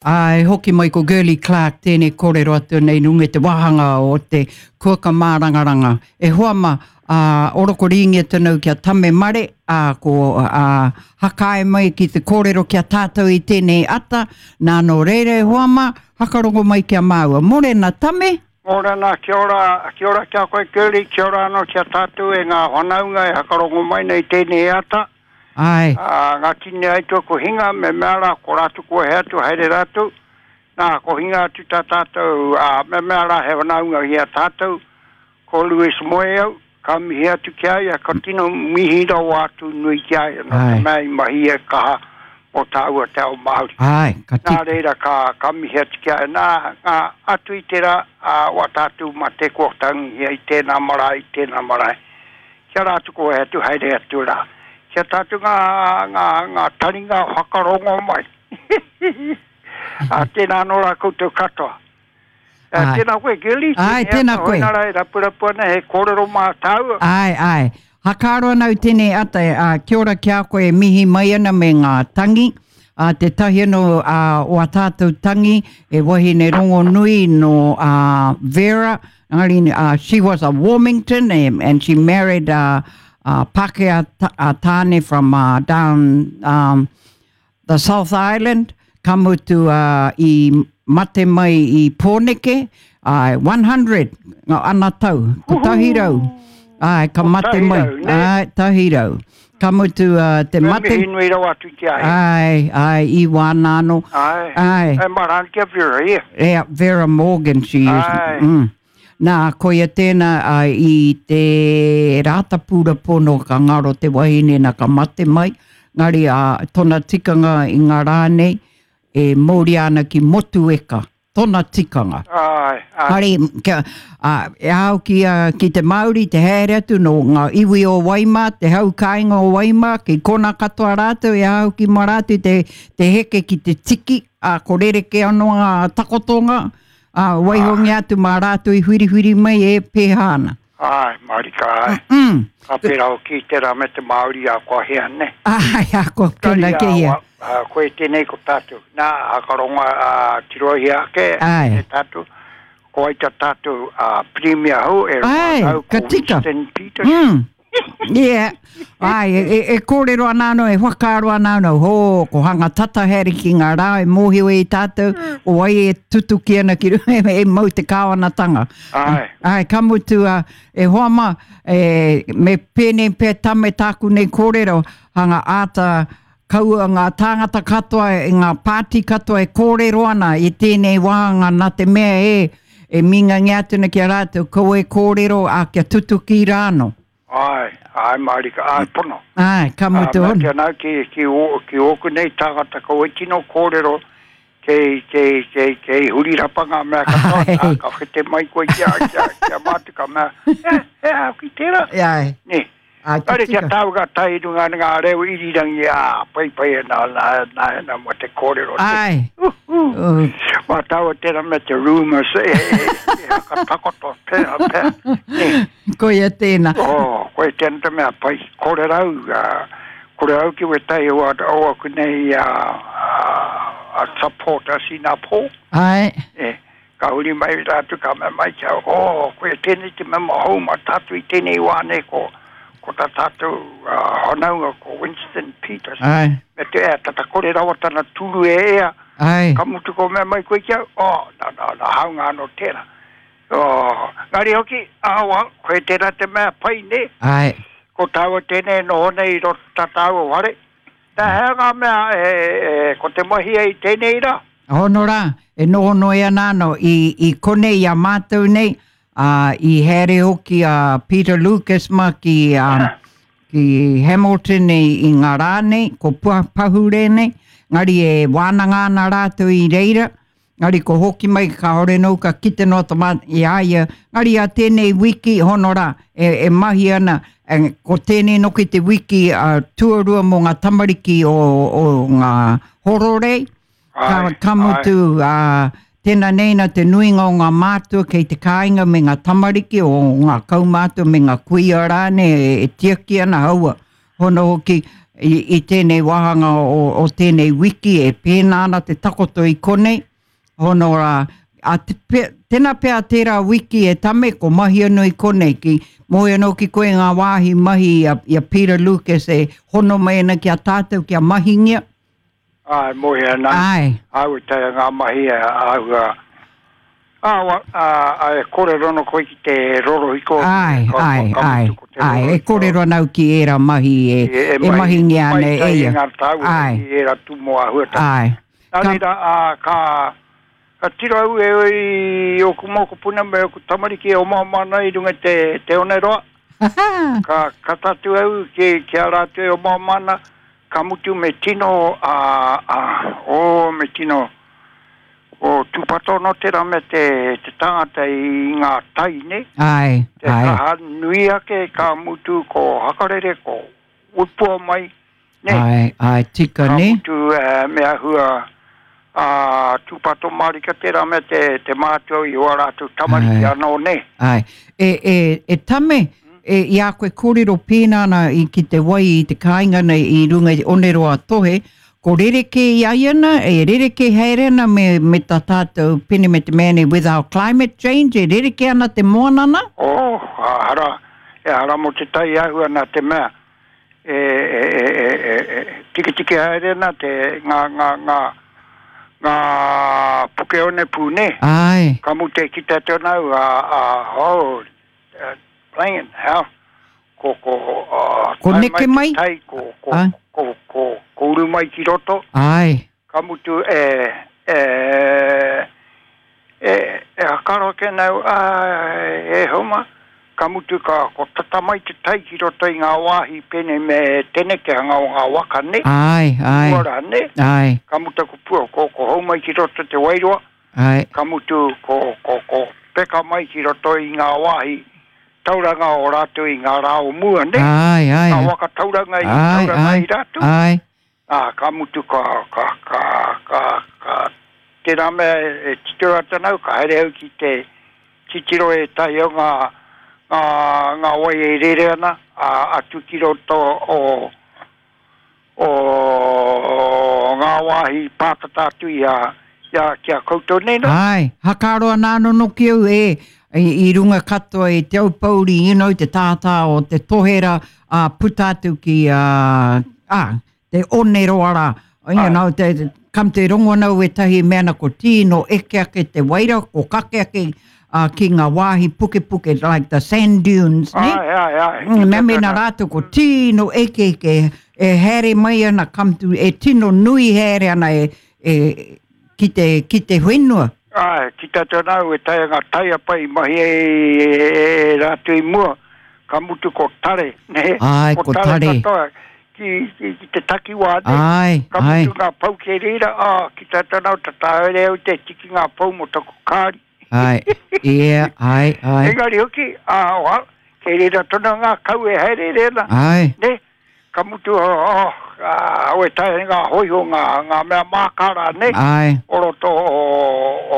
Ā, e hoki mai ko Girlie Clarke tēnei kōrero atu nei runga i te wāhanga o te kuaka mārangaranga. E hoa ma, ā, oroko rīngia tonu kia Tame Mare, ā, ko, ā, hakae mai ki te kōrero ki a tātou i tēnei ata, nā nō reira e hoa ma, hakarongo mai ki a māua. Morena Tame! Morena, kia ora, kia ora ki a koe Girlie, kia ora anō ki a tātou e ngā whanaunga e hakarongo mai nei tēnei ata. Āe. Ā, ngā tini aituā ko hinga, me mea rā, ko rātou kua hea atu, haere rātou. Nā, ko hinga atu tā tātou, ā, me mea rā he whanaunga ki a tātou, ko Lewis Moeau, ka mihi atu ki a ia, ka tino mihi rawa atu nui ki a ia, nō te mea i mahi e kaha mō tāua te ao Māori. Āe, ka tika. Nā reira, ka, ka mihi atu ki a ia. Nā, ngā, atu i tērā, ā, wā tātou mate kua tangihia i tēnā marae, i tēnā marae. Kia rā atu koe atu haere atu rā. Kia tātou ngā, ngā, ngā taringa whakarongo mai. Ā, tēnā anō rā koutou katoa. Ā, Āe. tēnā koe, Girlie. Āe, tēnā koe. Hoina rā e rapurapu ana he kōrero mā tāua. Āe, āe. Hakaaro ana au tēnei ata, ā, kia ora ki a koe e mihi mai ana me ngā tangi. Ā, tētahi anō ā, o ā tātou tangi, he wahine rongonui nō ā, Vera, Engari, uh, she was a Warmington and, and she married a, a Pākehā a tāne from uh, down um, the South Island. Ka mutu uh, i mate mai i Pōneke, uh, 100 ngā ana tau, kotahi rau. Ai, ka mate mai. Ai, tahi rau. Ka mutu uh, te mate. Me mihi nui rawa atu ki a ia. Ai, ai, i wāna anō. Ai, ai. E mara ana ki a Vera, ia. Yeah, Vera Morgan she is. Ai. Mm. Nā, koia tēnā uh, i te Rātapu pono ka ngaro te wahine nā ka mate mai. Ngari a uh, tona tikanga i ngā rā nei, e mauria ana ki Motueka. tona tikanga. Āe, āe. Kāre, kia, ā, e ao ki, ā, ki te Māori te haere atu nō ngā iwi o Waimā, te hau kāinga o Waimā, ki kona katoa rātou e ao ki mā rātou te, te heke ki te tiki, ā, ko rerekē anō ngā takotonga, ā, waihongia atu mā rātou i whiriwhiri mai e pēhā ana. Āe, mārika, āe. Mm. Ka pērā hoki tērā me te Māori a kua hea, ne? Āe, a kua kena ke ia. Koe tēnei ko tātou. Nā, a ka ronga a tirohia ake Āe. e tātou. Ko ai tā tātou a Premier hou e Āe, rātou ka ko tika. Winston Peters. Mm. Yeah. Āe, e, e, e kōrero ana anō, e whakaaro ana anō, hō, ko hanga tata haere ki ngā rā e mōhio e tātou, o wai e tutuki ana ki runga, e mau te kāwanatanga. Āe. Āe, ka mutu, a, e hoa mā, e, me pēnei pea tame tāku nei kōrero, hanga āta kaua ngā tāngata katoa, e ngā pāti katoa e kōrero ana i tēnei wāhanga nā te mea e, e mingangia atu ana ki a rātou, kaua e kōrero, ā, kia tutuki rā anō. Āe, āe mārika, āe pono. Āe, ka mutu hono. Ā, mea ki anau ki, ki, ō, ki ōku nei tāngata kaua e tino kōrero, kei, kei, kei, kei huri rapa ngā mea katoa, nā, ka whete mai koe ki a, ki a, ki a mātou, ka mea, he, he aha ki tērā? Āe. Nē. Āe, ka Kāre kia tika. tāu ka tae i runga ngā reo irirangi, ā, paipai ana, nā, nā, nā, mō te kōrero. Āe. Uhu. Mā tāua tērā me te rumours, e, e, e hakatakoto, pea, pea. Nē. Koia tēnā. Oh, koia tēnā te mea pai. Kore rau, ā, kore rau ki wētahi o, o aku nei ā, ā, supporters i nā pō. Āe. E, ka huri mai rātou ka mea mai kia, oh, koia tēnei te mema hou mā tātou i tēnei wā nei ko, ko tā tātou uh, whanaunga ko Winston Peters. Āe. Me te ea, tata kore rawa tana tūru e ea. Āe. Ka mutu ko mea mai koe kia, oh, nā, nā, nā, haunga anō tērā. Oh, ngari hoki, awa, koe tērā te mea pai, nē? Āe. Ko tāua tēnei e noho nei i roto tā tāua whare. Nā, he aha ngā mea e, e, ko te mahi ai tēnei rā? Hono rā, e noho noi ana anō i, i konei i a mātou nei, ā, i haere hoki a Peter Lucas mā ki, ā, ki Hamilton i, i ngā rā nei, ko Pua Pahure nei, ngari e wānanga ana rātou i reira, Ngari ko hoki mai kāore nōu ka kite noa ta mā i a ia, ngari a tēnei wiki hono rā e, e mahi ana, e, ko tēnei noki te wiki a tuarua mō ngā tamariki o, o ngā hororei, ka, Ai, ka mutu, a, tēnā nei nā te nuinga o ngā mātua kei te kāinga me ngā tamariki o ngā kaumātua me ngā kuia rānei e, e tiaki ana haua. Hono hoki, i, i tēnei wāhanga o, o tēnei wiki e pēnā ana te takoto i konei. Hono rā, a te, pe, tēnā pea tērā wiki e tame, ko mahi anō i konei, ki moe anō ki koe ngā wāhi mahi i a, i a Peter Lucas e hono mai ana ki a tātou kia mahingia. Āe, moe ana. Āe. Āu e taea ngā mahi a āhua, ā, ā, ā, e kōrero ana koe ki te rorohiko. Āe, āe, āe, āe, e kōrero ana au ki ērā mahi e, e mahingia ana e ia. Mai ngā tāua Āe. ki ērā tūmomo āhuatanga. Āe. Nā reira, ā, ka, ka tiro au e i ōku mokopuna me ōku tamariki e omaoma ana i runga i te, te oneroa. Ka, ka tatū au ki, ki a rātou e omaoma ana, ka mutu me tino, ā, ā, ō, me tino, ō, tūpato anō tērā mea te, te tangata i ngā tai, nē? Āe, Te āe. kaha nui ake ka mutu ko Hakarere, ko Wipua mai, Nē. Āe, āe, tika, Ka nē? mutu, me āhua, ā, tūpato mārika tērā mea te, te mātua i ō rātou tamariki Āe. anō, nē? Āe. E, e, e Tame, e, i a koe kōrero pēnā ana i ki te wai i te kāinga nei i runga i Oneroa Tohe, ko rerekē i a ia ana, e rerekē haere ana me, me tā tātou pene me te mea nei with our climate change, e rerekē ana te moana nā? Oh, ehara, ehara mō te tai āhua nā te mea, e, e, e, e, e, e tiketike haere ana te, ngā, ngā, ngā, ngā puke onepū, nē? Āe. Ka mutu e kite atu ana au, a, a, oh, playing, how? Ko, ko, uh, Ko neke mai? Tai, ko, ko, Āe. ko, ko, ko uru mai ki roto. Āe. Ka mutu e, e, e, e hakaro ake nau, a, e homa, ka mutu ka, ko tata mai te tai ki roto i ngā wāhi pēnei me te nekehanga o ngā waka, nē? Āe, āe. Pua rā, nē? Āe. Ka mutu ko pua, ko, ko hou mai ki roto te wairua. Āe. Ka mutu ko, ko, ko peka mai ki roto i ngā wāhi tauranga o rātou i ngā rā o mua, nē? Āe, āe. Ngā waka tauranga i Āe, tauranga āe, i rātou. Āe. Ā, ka mutu ka, ka, ka, ka, ka, tērā mea e titiro atu ana au, ka haere au ki te titiro ētahi o ngā, ngā, ngā wai e rere ana, ā, atu ki roto o, o ngā wāhi pātata atu i a, i a, ki a koutou nei nā. Āe, hakaaro ana anō noki au e, i, i runga katoa i te Aupōuri, you know, te tātā o te tohera, ā, puta atu ki, ā, ā, te oneroa rā, you know, te, te, kam te rongo ana au ētahi e mea ana ko tīno eke ake te waira, ko kake ake ā, ki ngā wāhi pukepuke, like the sand dunes, ne? Āe, āe, āe. Mea mēnā rātou ko tīno eke eke, e haere mai ana come to, e tino nui haere ana e, e, ki te, ki te whenua. Āe, ki tā te nāu e taea ngā taiapa i mahi ai e, e, e rātou i mua, ka mutu ko tare, nē? Āe, ko tare. Ko tare katoa ki, ki, ki te takiwā, nē? Āe, Ka āe. mutu ngā pou kei reira, ā, ki tā te nāu, tata haere au te tiki ngā pou mō taku kāri. Āe, yeah, āe, āe. Engari hoki, ā, oha, kei reira tonu ngā kau e haereere ana. Āe. Nē? Ka mutu, oh, ā, au e taea ngā hōiho, ngā, ngā mea mākara, nē? Āe. O roto o,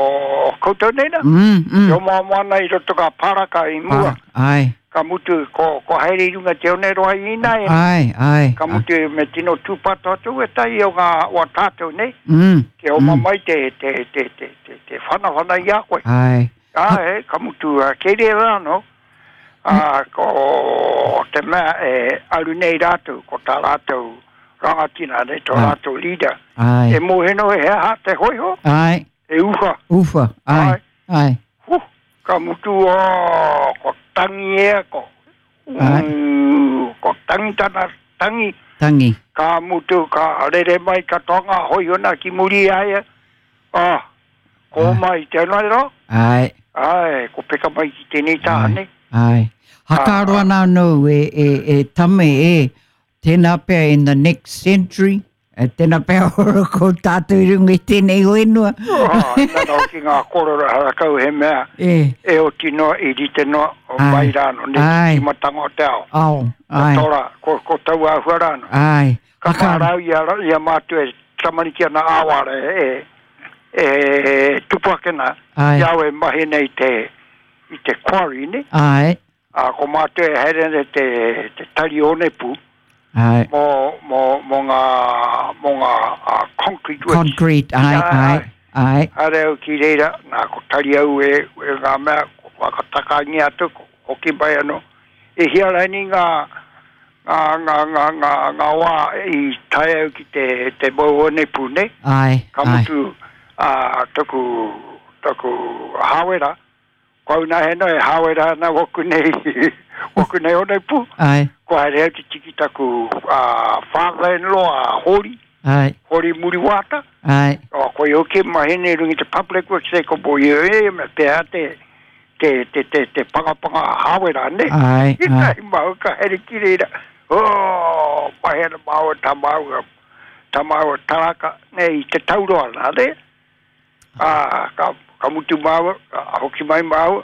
o, o koutou nei nā? Mm, mm. E omaoma ana i roto ngā pāraka i mua. Āe. Ka mutu, ko, ko haere i runga te oneroa i ināianei. Āe, āe. Ka mutu, me tino tūpato atu ētahi o ngā, o a tātou nei. Mm. Kia oma mai te, te, te, te, te, te whanawhana i a koe. Āe. Āe, ka mutu, kei reira anō, ā, ko te mea e aru nei rātou, ko tā rātou rangatira, nei, tō rātou leader. Āe. E mōhio noa he aha te hōiho? Āe. E uwha. Uwha, āe, Āe. āe. Huh, ka mutu, ō, ko tangi ea, ko, Āe. ū, ko tangi tana tangi. Tangi. Ka mutu, ka rere mai katoa ngā hōiho nā ki muri i a ia, ā, ko oma i te anō. Āe. Āe, ko peka mai ki tēnei taha, nē? Āe. Hakaaro ana anō e, e, e Tame, e, tēnā pea in the next century, e, tēnā pea ora ko tātou i runga i tēnei whenua. Oh, nana hoki ngā kōrero harakau he mea E. e oti noa, i rite noa, o Āe. mai rāno, ne, Āe. te tīmatanga o te ao. Ao, Ko āe. tōra, ko, ko taua āhua rāno. Āe. Ka Hakaaro. mārau i a, i a mātou e tamariki ana āwara e, e tupu ake nā, Āe. i au e mahi nei te, i te quarry, ne? Āe. Ā, ko mātou e haere ana te, te tari onepū. Ai. Mō, mō, mō ngā, mō ngā uh, concrete works. Concrete, ai, ai, ai. Haere au ki reira, nā, ko tari au e, e ngā mea, ko whakatakangia atu, ko hoki mai anō. E hia raini ngā, ngā, ngā, ngā, ngā, ngā wā i tae au ki te, te mau onepū, nei? Ai, Ka mutu, ai. ā, taku, taku hāwera, Ko au nā heno e hāwera ana waku nei, waku nei onepū. Ai. Ko haere au te tiki taku uh, father-in-law a Hori. Ai. Hori Muriwāta. Ai. O, ko i hoki mahene rungi te public works e ko bo i e, me pēhea te, te, te, te, te pangapanga hāwera, ne? Ai, ai. I mau ka haere ki reira. Oh, mahena māua tā māua, tā māua taraka, ne, i te tauroa nā, ne? Ā, ka, ka mutu māua, ka hoki mai māua,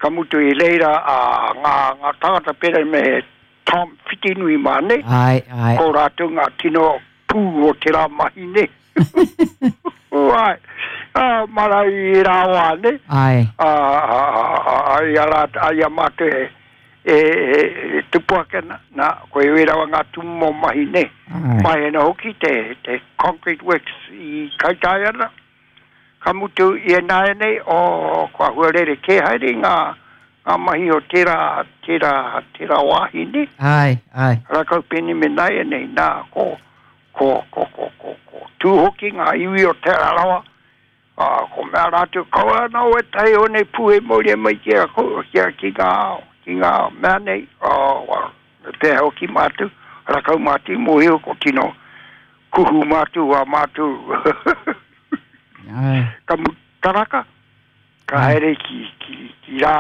ka mutu i reira a ngā, ngā tāngata pērā me Tom Whitinui mā, nei? Ai, ai. Ko rātou ngā tino pū o tērā mahi, nei? Ai, ā, mara i rā wā, nei? Ai. Ā, ā, ā, ā, i a rā, i a mātou e, e, e, e tupu ake ana, nā, ko e rawa ngā tūmomo mahi nei. Ai. Mai ana hoki te, te Concrete Works i Kaitaia ana. Ka mutu i ināianei, oh, kua huarere kē haere ngā, ngā mahi o tērā, tērā, tērā wāhi nei. Ai, ai. Rakau pēnei me nāianei, nā, ko, ko, ko, ko, ko, ko tū hoki ngā iwi o Te Rarawa, Ā, ko mea rātou, Kaua anō ētahi o nei pū e mauria mai ki a koutou, ki a, ki ngā, ki ngā mea nei, ā, well, me pēhea hoki mātou, rakau mātou i mōhio, ko tino kuhu mātou ā mātou, Āe. ka mu taraka, ka haere ki, ki, ki rā,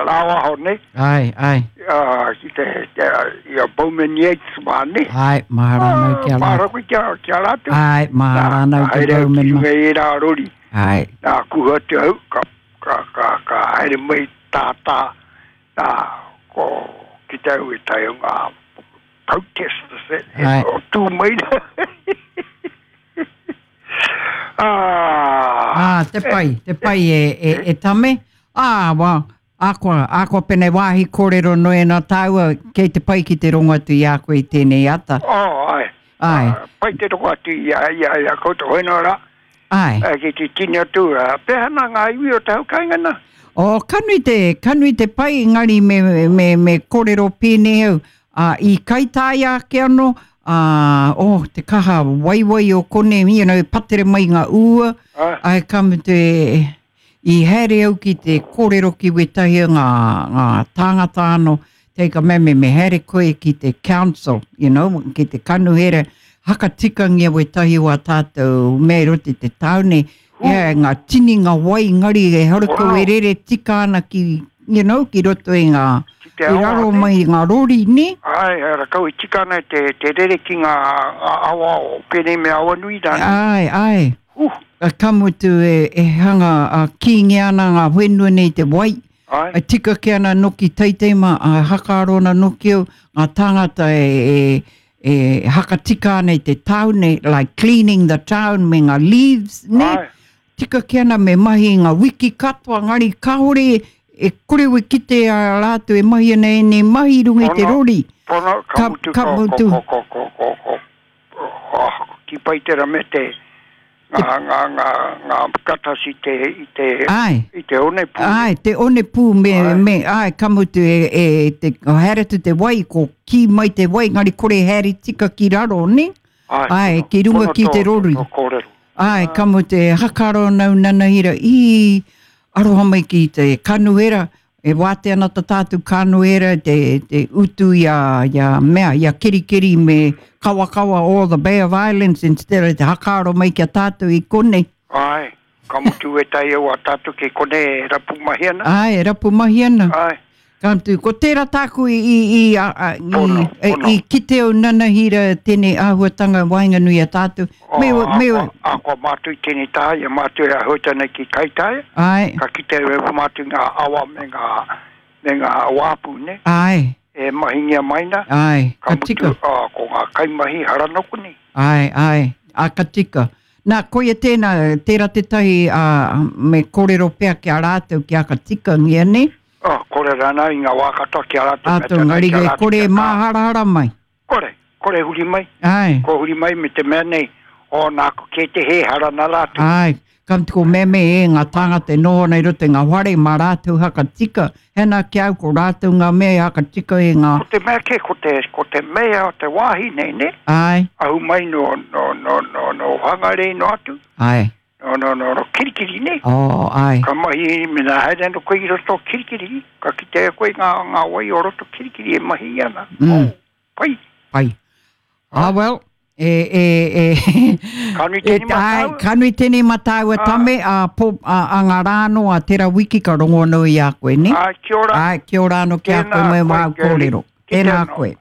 rāwaho nei. Āe, āe. Ā, ki te, te, i a Bowman Yates mā, nei. Āe, mahara anau ki a rātou. Mahara koe ki a, ki a rātou. Āe, mahara anau ki Bowman mā. Nā, haere au ki runga i ērā rori. Āe. Nā, kuhu atu au, ka, ka, ka, ka haere mai tātā, nā, ko, ki te au e tae o ngā protesters e, e, o tū mai rā. Ah! Ah, te pai, te pai e, e, e tame. Ah, wa, akoa, akoa pene wāhi kōrero noe nā tāua, kei te pai ki te rongo atu i a koe i tēnei ata. Oh, ai. Ai. Ah, pai te rongo atu i a, i a, i a koutou hoino rā. Ai. Eh, ki te tini atu, ah, pēhea nā ngā iwi o te hau kāinga nā? Oh, ka nui te, ka nui te pai, engari me, me, me kōrero pēnei au. Ā, i kaitāia ake anō, ā, oh, te kaha waiwai o konei, you know, patere mai ngā ua, āe, ka mutu e, i haere au ki te kōrero ki wētahi o ngā, ngā tāngata anō, take a mea, me, me haere koe ki te council, you know, ki te kanuhera, hakatikangia wētahi o ā tātou mea i roto i te tāone, yeah, ngā tini ngā wai ngari e harako e rere tika ana ki, you know, ki roto i ngā, Ki te i awa, raro ne? mai i ngā rori, ne? Ai, rakau i tika ana te, te rere ki ngā, ngā awa o pēnei me Awanui rānei. Ai, ai. Uh. Ka mutu e, e hanga a, kīngi ana ngā whenua nei te wai. Ai. E tika ki ana noki teitei mā, a hakaaro ana noki au, ngā tāngata e, e, e hakatika ana i te tāone, like cleaning the town me ngā leaves, ne? Ai. Tika ki ana me mahi i ngā wiki katoa, ngari kāore e kore we kite a rātou e mahi ana ēnei mahi i runga i te rori. Pono, ka mutu, ka mutu. Ko, ko, ko, ko, ko, ko, oh, ki pai tera me te, ngā, ngā, ngā, ngā katas i te, i te, Ai. i te onepū. Ai, te onepū me, Ai. me, ai, ka mutu e, e, te, haere atu te wai, ko kī mai te wai, ngari kore haere tika ki raro, ne? Ai, Ai, pono, ki runga pono ki te tō- rori. tō kōrero. Ai, ka mutu e hakaro nau nanahira, i, aroha mai ki te kanuhera, e wātea ana ta tātou kanuhera te, te utu i a, i a mea, i a Kerikeri me Kawakawa or the Bay of Islands instead of te hakaaro mai ki a tātou i konei. Ai, ka mutu ētahi o a tātou ki konei e rapu mahi ana. Ai, e rapu mahi ana. Ai. Ka mutu, ko tērā tāku i, i, i, a, a, i, Pono, i, pono. i kite au nanahira tēnei āhuatanga waenganui a tātou. O, Me, me, a, a, a kua mātou i tēnei taha, i a mātou e ahuta nei ki Kaitaia, ai, ka kite e mātou ngā awa me ngā, me ngā wāpu, ne? ai, E mahingia mai nā, ai, ka ka mutu, tika. a, ko ngā kaimahi haranoko nei. Ai, ai, a ka tika. Nā, koia tēnā, tērā tētahi, ā, me kōrero pea ki a rātou ki a ka tikangia, ne? Oh, kore rānā i ngā wā katoa ki a rātou. Ātou, ngari e kore e māharahara mai. Kore. Kore huri mai. Ai. Ko huri mai me te mea nei, o nāku kē te hē, hara nā rātou. Ai, ka mutu ko meme e ngā tāngata e noho ana i roto i ngā whare mā rātou haka tika, hena ki au ko rātou ngā mea e haka tika i ngā. Ko te mea kē, ko te, ko te mea o te wāhi nei, nē? Ai. Ahu mai nō, nō, nō, nō, nō Whangarei noa atu. Ai. Nō, nō, nō, nō Kirikiri, nē? Oh, ai. Ka mahi, mena haere ana koe i roto o Kirikiri, ka kitea e koe ngā, ngā wai o roto Kirikiri e mahi ana. Mm. Oh. Pai. Pai. Ah, well, e, e, e, Ka nui tēnei e, ai, mātāua. ka nui tēnei mātāua Ah. tame, a, po, a, a ngā rā anō, a tera wiki ka rongo anō i a koe, ne? Ai, kia ora. Ai, kia ora anō ki a koe Tēnā me koe, wāu Girlie. kōrero. Ki Tēnā te anō. koe.